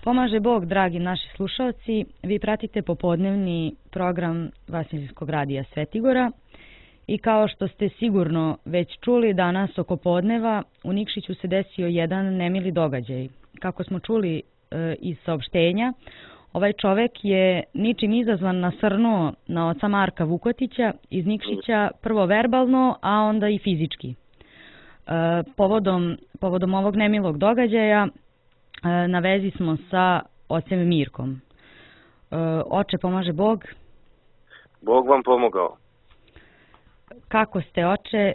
Pomaže Bog, dragi naši slušalci, vi pratite popodnevni program Vasiljanskog radija Svetigora i kao što ste sigurno već čuli, danas oko podneva u Nikšiću se desio jedan nemili događaj. Kako smo čuli iz saopštenja, ovaj čovek je ničim izazvan nasrnuo na oca Marka Vukotića iz Nikšića, prvo verbalno, a onda i fizički. Povodom ovog nemilog događaja na vezi smo sa ocem Mirkom. Oče, pomaže Bog. Bog vam pomogao. Kako ste, oče?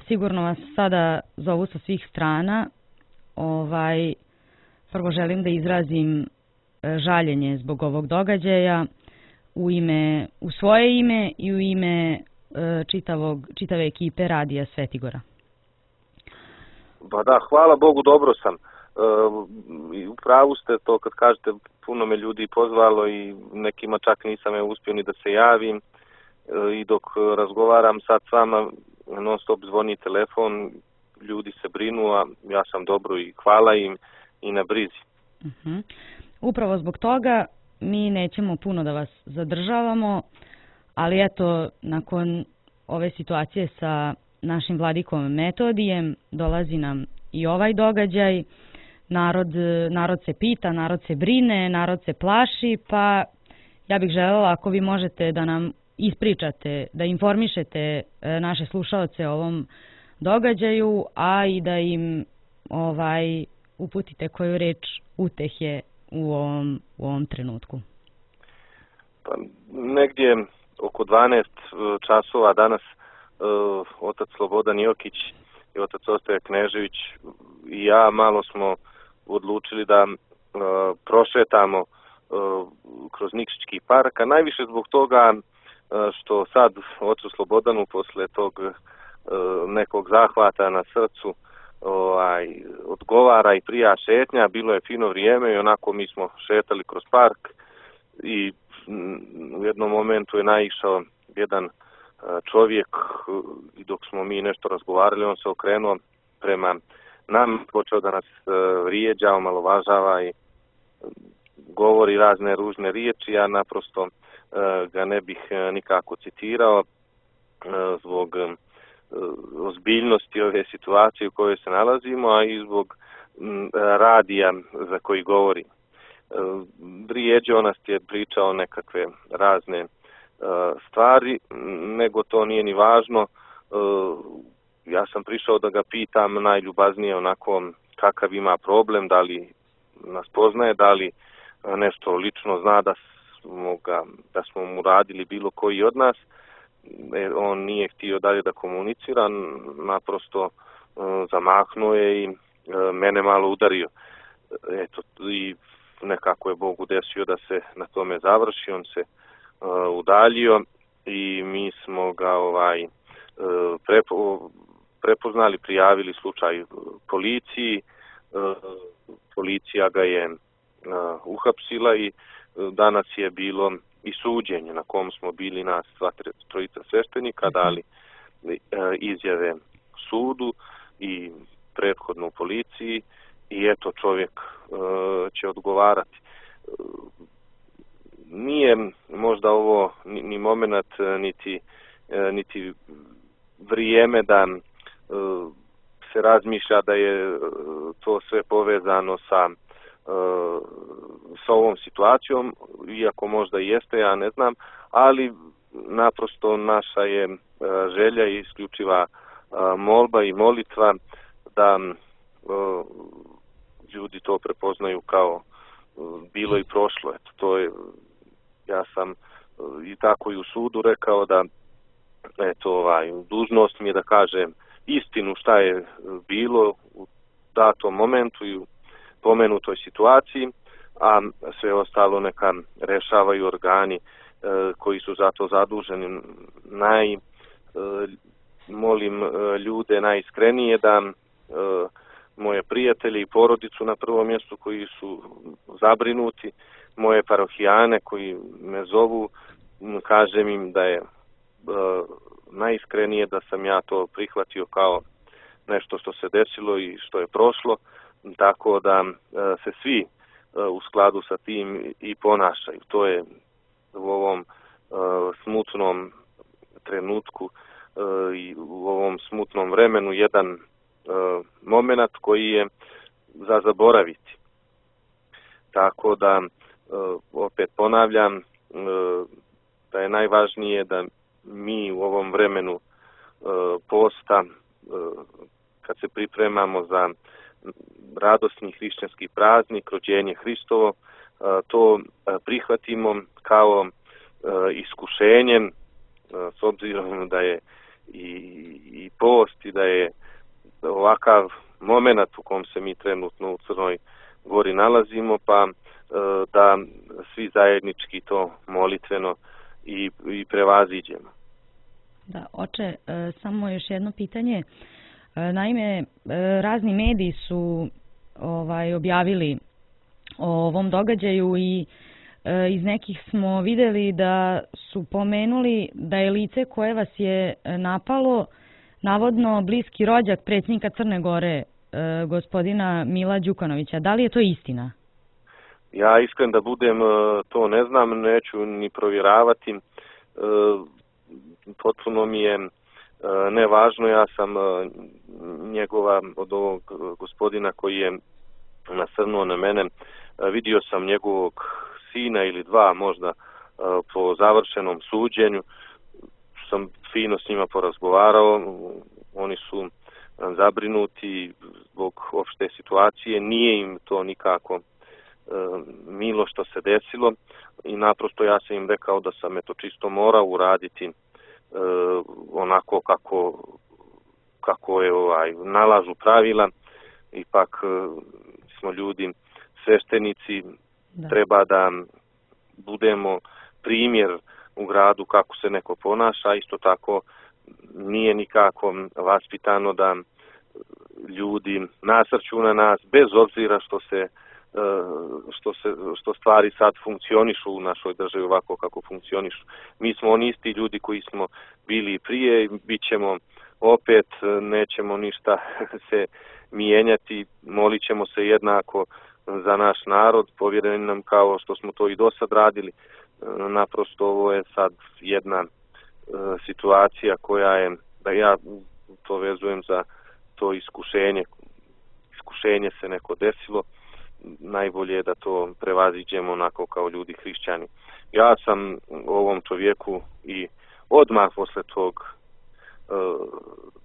Sigurno vas sada zovu sa svih strana. Prvo želim da izrazim žaljenje zbog ovog događaja u svoje ime i u ime čitave ekipe Radija Svetigora. Ba da, hvala Bogu, dobro sam. U pravu ste to kad kažete, puno me ljudi pozvalo i nekima čak nisam uspio ni da se javim. I dok razgovaram sad s vama, non stop zvoni telefon, ljudi se brinu, a ja sam dobro i hvala im i na brizi. Upravo zbog toga mi nećemo puno da vas zadržavamo, ali eto, nakon ove situacije sa našim vladikom Metodijem dolazi nam i ovaj događaj. Narod se pita, narod se brine, narod se plaši, pa ja bih želela ako vi možete da nam ispričate, da informišete naše slušaoce o ovom događaju, a i da im uputite koju reč utehe u ovom trenutku. Pa, negdje oko 12 časova danas otac Slobodan Jokić i otac Ostoje Knežević i ja malo smo odlučili da prošetamo kroz Nikšićki park, a najviše zbog toga što sad ocu Slobodanu posle tog nekog zahvata na srcu odgovara i prija šetnja, bilo je fino vrijeme i onako mi smo šetali kroz park i u jednom momentu je naišao jedan čovjek i dok smo mi nešto razgovarali, on se okrenuo prema nam, počeo da nas vrijeđa, omalovažava i govori razne ružne riječi. Ja naprosto ga ne bih nikako citirao zbog ozbiljnosti ove situacije u kojoj se nalazimo, a i zbog radija za koji govori. Vrijeđao nas je, pričao nekakve razne stvari, nego to nije ni važno. Ja sam prišao da ga pitam najljubaznije onako kakav ima problem, da li nas poznaje, da li nešto lično zna da smo mu radili bilo koji od nas. On nije htio dalje da komunicira, naprosto zamahnuo je i mene malo udario. Eto, i nekako je Bog udesio da se na tome završi, on se udaljio i mi smo ga prepoznali, prijavili slučaj policiji. Policija ga je uhapsila i danas je bilo i suđenje na kom smo bili nas sva trojica sveštenika, dali izjave sudu i prethodno u policiji i eto čovjek će odgovarati. Nije možda ovo ni moment, niti vrijeme da se razmišlja da je to sve povezano sa ovom situacijom, iako možda i jeste, ja ne znam, ali naprosto naša je želja i isključiva molba i molitva da ljudi to prepoznaju kao bilo i prošlo. Eto, to je, ja sam i tako i u sudu rekao da dužnost mi je da kažem istinu šta je bilo u datom momentu i u pomenutoj situaciji, a sve ostalo neka rešavaju organi koji su za to zaduženi. Molim ljude najiskrenije da moje prijatelje i porodicu na prvom mjestu koji su zabrinuti, moje parohijane koji me zovu, kažem im da je najiskrenije da sam ja to prihvatio kao nešto što se desilo i što je prošlo, tako da se svi u skladu sa tim i ponašaju. To je u ovom smutnom trenutku i u ovom smutnom vremenu jedan moment koji je za zaboraviti. Tako da, opet ponavljam, da je najvažnije da mi u ovom vremenu posta, kad se pripremamo za radosni hrišćanski praznik, rođenje Hristovo, to prihvatimo kao iskušenje, s obzirom da je i post i da je ovakav moment u kom se mi trenutno u Crnoj Gori nalazimo, pa da svi zajednički to molitveno i prevaziđemo. Da, oče, samo još jedno pitanje. Naime, razni mediji su objavili o ovom događaju i iz nekih smo vidjeli da su pomenuli da je lice koje vas je napalo navodno bliski rođak predsjednika Crne Gore, gospodina Mila Đukanovića. Da li je to istina? Ja iskren da budem, to ne znam, neću ni provjeravati. Potpuno mi je nevažno, ja sam njegova, od ovog gospodina koji je nasrnuo na mene, vidio sam njegovog sina ili dva možda po završenom suđenju, sam fino s njima porazgovarao, oni su zabrinuti zbog opšte situacije, nije im to nikako milo što se desilo i naprosto ja sam im rekao da sam čisto morao uraditi onako kako je nalažu pravila. Ipak smo ljudi sveštenici, treba da budemo primjer u gradu kako se neko ponaša, isto tako nije nikako vaspitano da ljudi nasrću na nas bez obzira što stvari sad funkcionišu u našoj državi ovako kako funkcionišu. Mi smo oni isti ljudi koji smo bili prije, bit ćemo opet, nećemo ništa se mijenjati, molit ćemo se jednako za naš narod, povjereni nam kao što smo to i do sad radili. Naprosto ovo je sad jedna situacija koja je, da ja to vezujem za to iskušenje. Iskušenje se neko desilo, najbolje je da to prevaziđemo onako kao ljudi hrišćani. Ja sam ovom čovjeku i odmah posle tog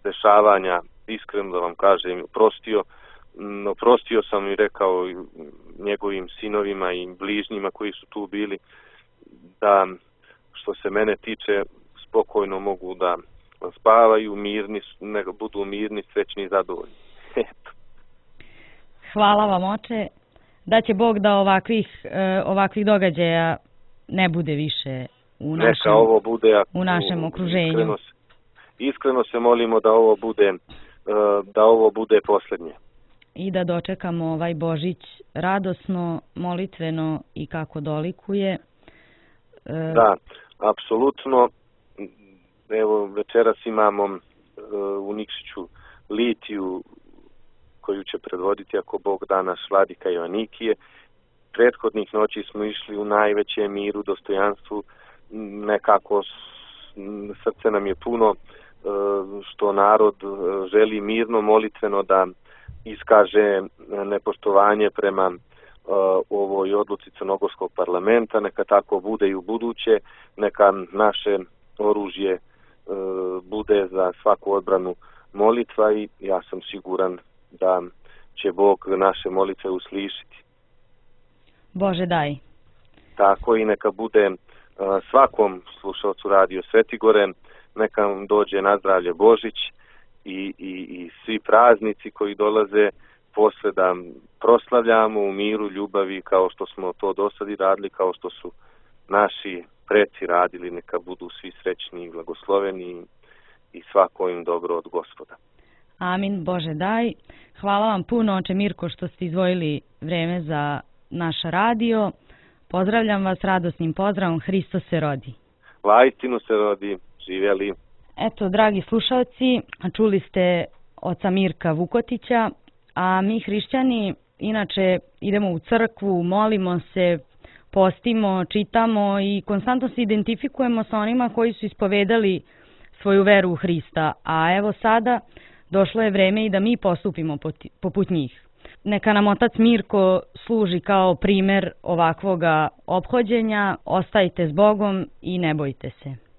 dešavanja, iskreno da vam kažem, oprostio sam i rekao njegovim sinovima i bližnjima koji su tu bili da što se mene tiče spokojno mogu da spavaju, mirni, budu mirni, srećni i zadovoljni. Eto. Hvala vam, oče. Da će Bog da ovakvih događaja ne bude više u našem okruženju. Iskreno se molimo da ovo bude posljednje. I da dočekamo ovaj Božić radosno, molitveno i kako dolikuje. Da, apsolutno. Evo, večeras imamo u Nikšiću litiju koju će predvoditi, ako Bog da, naš vladika Joanikije. Prethodnih noći smo išli u najvećem miru, dostojanstvu, nekako srce nam je puno što narod želi mirno, molitveno da iskaže nepoštovanje prema ovoj odluci Crnogorskog parlamenta, neka tako bude i u buduće, neka naše oružje bude za svaku odbranu molitva i ja sam siguran da će Bog naše molitve uslišiti. Bože daj. Tako i neka bude svakom slušalcu Radio Svetigore, neka vam dođe na zdravlje Božić i svi praznici koji dolaze posle da proslavljamo u miru, ljubavi kao što smo to do sad i radili, kao što su naši preci radili, neka budu svi srećni i blagosloveni i svako im dobro od Gospoda. Amin, Bože daj. Hvala vam puno, oče Mirko, što ste izdvojili vreme za naš radio. Pozdravljam vas radosnim pozdravom, Hristos se rodi. Vaistinu se rodi, živjeli. Eto, dragi slušalci, čuli ste oca Mirka Vukotića, a mi hrišćani inače idemo u crkvu, molimo se, postimo, čitamo i konstantno se identifikujemo sa onima koji su ispovedali svoju veru u Hrista, a evo sada došlo je vreme i da mi postupimo poput njih. Neka nam otac Mirko služi kao primer ovakvoga ophođenja, ostajte s Bogom i ne bojte se.